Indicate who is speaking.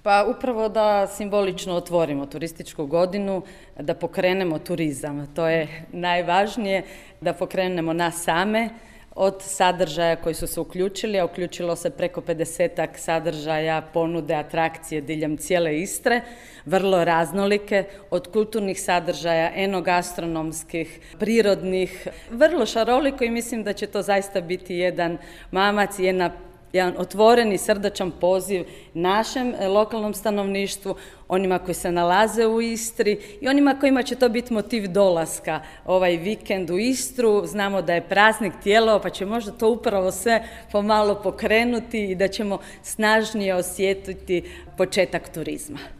Speaker 1: Pa upravo da simbolično otvorimo turističku godinu, da pokrenemo turizam. To je najvažnije, da pokrenemo nas same od sadržaja koji su se uključili, a uključilo se preko 50-ak sadržaja, ponude, atrakcije diljem cijele Istre, vrlo raznolike, od kulturnih sadržaja, enogastronomskih, prirodnih, vrlo šaroliko i mislim da će to zaista biti jedan mamac i jedan otvoreni, srdačan poziv našem lokalnom stanovništvu, onima koji se nalaze u Istri i onima kojima će to biti motiv dolaska ovaj vikend u Istru. Znamo da je praznik Tijelovo, pa će možda to upravo sve pomalo pokrenuti i da ćemo snažnije osjetiti početak turizma.